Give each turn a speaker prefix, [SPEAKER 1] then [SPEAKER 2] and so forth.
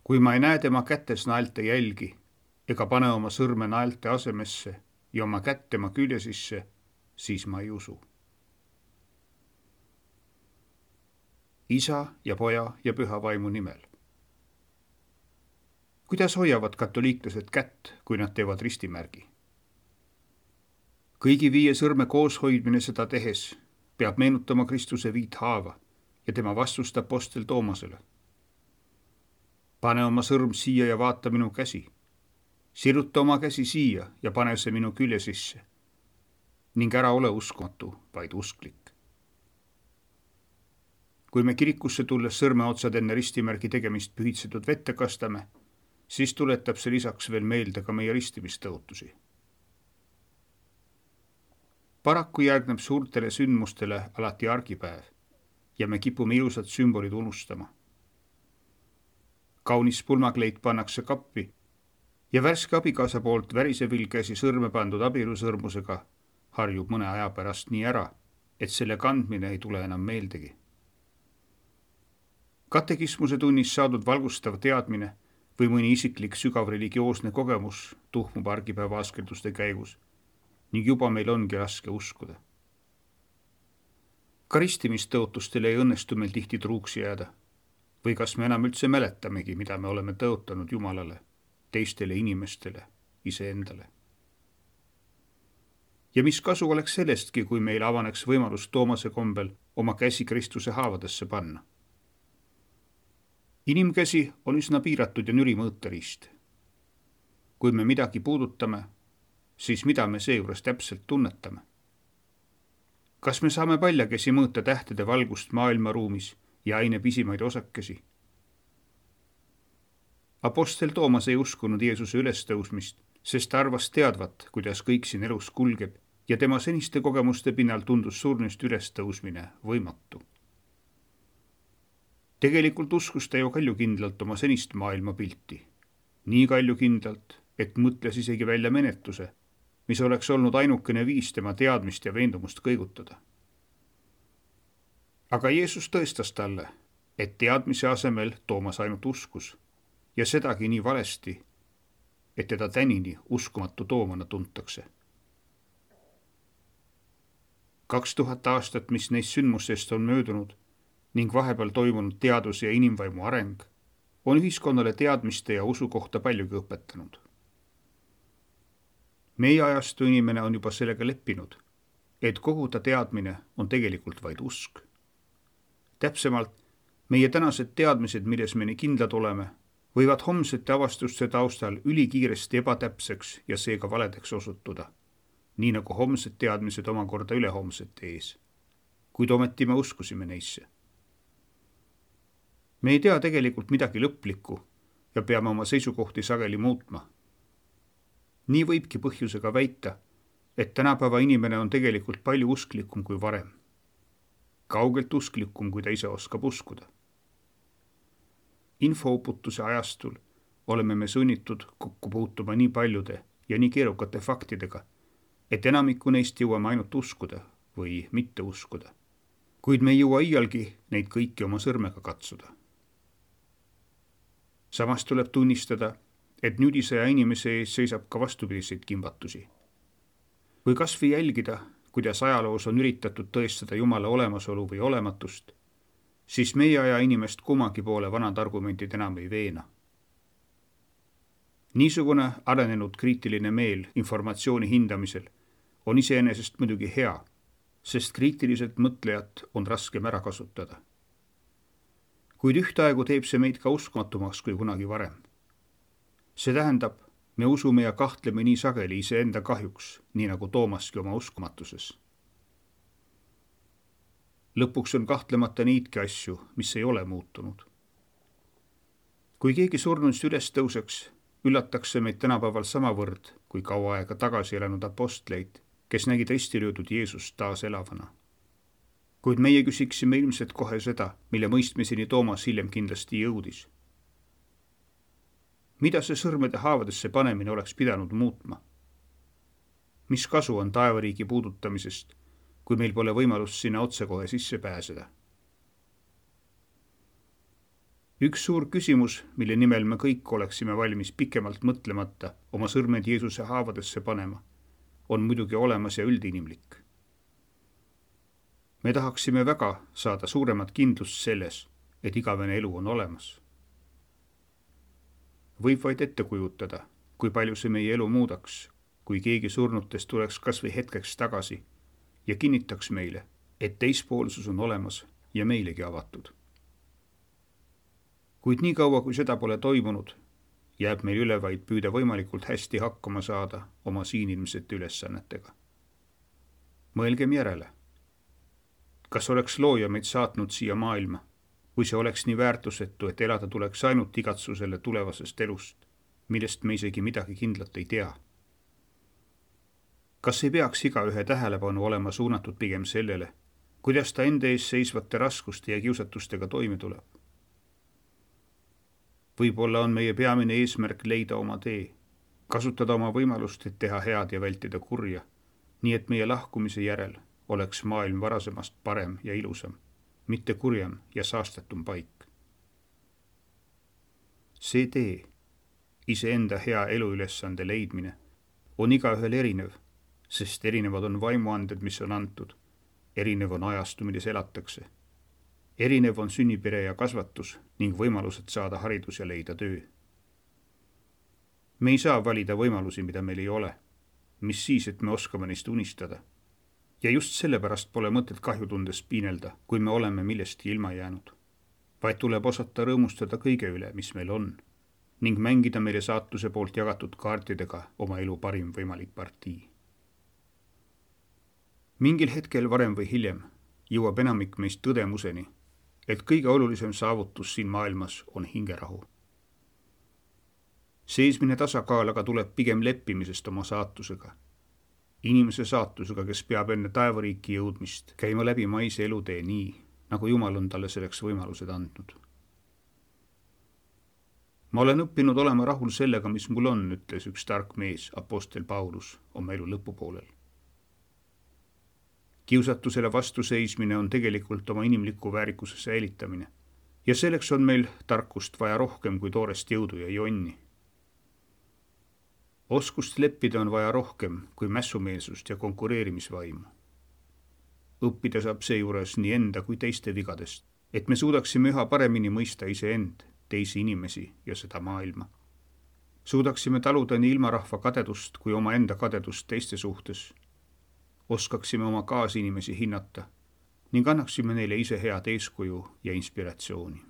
[SPEAKER 1] kui ma ei näe tema kätes naelte jälgi ega pane oma sõrme naelte asemesse ja oma kätt tema külje sisse, siis ma ei usu. Isa ja Poja ja Püha Vaimu nimel. Kuidas hoiavad katoliiklased kätt, kui nad teevad ristimärgi? Kõigi 5 sõrme kooshoidmine seda tehes peab meenutama Kristuse 5 haava ja tema vastust apostel Toomasele. Pane oma sõrm siia ja vaata minu käsi. Siruta oma käsi siia ja pane see minu külje sisse. Ning ära ole uskumatu, vaid usklik. Kui me kirikusse tulles sõrmeotsad enne ristimärgi tegemist pühitsetud vette kastame, siis tuletab see lisaks veel meelde ka meie ristimistõotusi. Paraku järgneb suurtele sündmustele alati argipäev ja me kipume ilusad sümbolid unustama. Kaunis pulmakleit pannakse kappi ja värske abikaasa poolt värisevill käsi sõrme pandud abielusõrmusega harjub mõne aja pärast nii ära, et selle kandmine ei tule enam meeldegi. Katekismuse tunnis saadud valgustav teadmine või mõni isiklik sügav religioosne kogemus tuhmub argipäeva askelduste käigus ning juba meil ongi raske uskuda. Ka ristimistõotustele ei õnnestu meil tihti truuks jääda. Või kas me enam üldse mäletamegi, mida me oleme tõotanud Jumalale, teistele inimestele, iseendale. Ja mis kasu oleks sellestki, kui meil avaneks võimalus Toomase kombel oma käsi Kristuse haavadesse panna? Inimkäsi on üsna piiratud ja nüri mõõteriist. Kui me midagi puudutame, siis mida me seejuures täpselt tunnetame? Kas me saame paljakäsi mõõta tähtede valgust maailmaruumis ja aine pisimaid osakesi? Apostel Toomas ei uskunud Jeesuse ülestõusmist, sest ta arvas teadvat, kuidas kõik siin elus kulgeb ja tema seniste kogemuste pinnal tundus surnust ülestõusmine võimatu. Tegelikult uskus ta ju kaljukindlalt oma senist maailmapilti. Nii kaljukindlalt, et mõtles isegi välja menetluse, mis oleks olnud ainukene viis tema teadmist ja veendumust kõigutada. Aga Jeesus tõestas talle, et teadmise asemel Toomas ainult uskus ja sedagi nii valesti, et teda tänini uskumatu Toomana tuntakse. 2000 aastat, mis neist sündmustest on möödunud ning vahepeal toimunud teadus- ja inimvaimu areng, on ühiskonnale teadmiste ja usu kohta paljugi õpetanud. Meie ajastu inimene on juba sellega leppinud, et kogu ta teadmine on tegelikult vaid usk. Täpsemalt, meie tänased teadmised, milles me nii kindlad oleme, võivad homsete avastuste taustal ülikiiresti ebatäpseks ja seega valedeks osutuda, nii nagu homsed teadmised omakorda ülehomsete ees, kuid ometi me uskusime neisse. Me ei tea tegelikult midagi lõplikku ja peame oma seisukohti sageli muutma. Nii võibki põhjusega väita, et tänapäeva inimene on tegelikult palju usklikum kui varem. Kaugelt usklikum, kui ta ise oskab uskuda. Infouputuse ajastul oleme me sunnitud kokku puutuma nii paljude ja nii keerukate faktidega, et enamikku neist jõuame ainult uskuda või mitte uskuda. Kuid me ei jõua iialgi neid kõiki oma sõrmega katsuda. Samas tuleb tunnistada, et nüüdisaja inimese ees seisab ka vastupidiseid kimbatusi. Või kas või jälgida, kuidas ajaloos on üritatud tõestada Jumala olemasolu või olematust, siis meie aja inimest kummagi poole vanad argumentid enam ei veena. Niisugune arenenud kriitiline meel informatsiooni hindamisel on iseenesest muidugi hea, sest kriitiliselt mõtlejat on raskem ära kasutada. Kuid ühtaegu teeb see meid ka uskumatumaks kui kunagi varem. See tähendab, me usume ja kahtleme nii sageli iseenda kahjuks, nii nagu Toomaski oma uskumatuses. Lõpuks on kahtlemata niidki asju, mis ei ole muutunud. Kui keegi surnust üles tõuseks, üllatakse meid tänapäeval samavõrd, kui kaua aega tagasi elanud apostleid, kes nägid ristilöödud Jeesust taas elavana. Kuid meie küsiksime ilmselt kohe seda, mille mõistmiseni Toomas hiljem kindlasti jõudis. Mida see sõrmede haavadesse panemine oleks pidanud muutma? Mis kasu on taevariigi puudutamisest, kui meil pole võimalust sinna otsekohe sisse pääseda? Üks suur küsimus, mille nimel me kõik oleksime valmis pikemalt mõtlemata oma sõrmed Jeesuse haavadesse panema, on muidugi olemas ja üldinimlik. Me tahaksime väga saada suuremat kindlust selles, et igavene elu on olemas. Võib vaid ette kujutada, kui palju see meie elu muudaks, kui keegi surnutest tuleks kas või hetkeks tagasi ja kinnitaks meile, et teispoolsus on olemas ja meilegi avatud. Kuid nii kaua, kui seda pole toimunud, jääb meil üle vaid püüda võimalikult hästi hakkama saada oma siin ilmsete ülesannetega. Mõelgem järele. Kas oleks looja meid saatnud siia maailma, kui see oleks nii väärtusetu, et elada tuleks ainult igatsusele tulevasest elust, millest me isegi midagi kindlat ei tea? Kas ei peaks igaühe tähelepanu olema suunatud pigem sellele, kuidas ta enda ees seisvate raskuste ja kiusatustega toime tuleb? Võib-olla on meie peamine eesmärk leida oma tee, kasutada oma võimalust, et teha head ja vältida kurja, nii et meie lahkumise järel oleks maailm varasemast parem ja ilusam, mitte kurjem ja saastatum paik. See tee, iseenda hea eluülesande leidmine, on igaühel erinev, sest erinevad on vaimuanded, mis on antud, erinev on ajastu, milles elatakse. Erinev on sünnipere ja kasvatus ning võimalused saada haridus ja leida töö. Me ei saa valida võimalusi, mida meil ei ole, mis siis, et me oskame neist unistada. Ja just sellepärast pole mõtet kahjutundes piinelda, kui me oleme millestki ilma jäänud, vaid tuleb osata rõõmustada kõige üle, mis meil on, ning mängida meile saatuse poolt jagatud kaartidega oma elu parim võimalik partii. Mingil hetkel varem või hiljem jõuab enamik meist tõdemuseni, et kõige olulisem saavutus siin maailmas on hingerahu. Seesmine tasakaal aga tuleb pigem leppimisest oma saatusega. Inimese saatusega, kes peab enne taevariiki jõudmist käima läbi maise elutee nii, nagu Jumal on talle selleks võimalused andnud. Ma olen õppinud olema rahul sellega, mis mul on, ütles üks tark mees, apostel Paulus, oma elu lõpupoolel. Kiusatusele vastuseismine on tegelikult oma inimliku väärikuse säilitamine ja selleks on meil tarkust vaja rohkem kui toorest jõudu ja jonni. Oskust leppida on vaja rohkem kui mässumeelsust ja konkureerimisvaimu. Õppida saab seejuures nii enda kui teiste vigadest, et me suudaksime üha paremini mõista iseend, teisi inimesi ja seda maailma. Suudaksime taluda nii ilmarahva kadedust kui oma enda kadedust teiste suhtes, oskaksime oma kaasinimesi hinnata ning annaksime neile ise head eeskuju ja inspiratsiooni.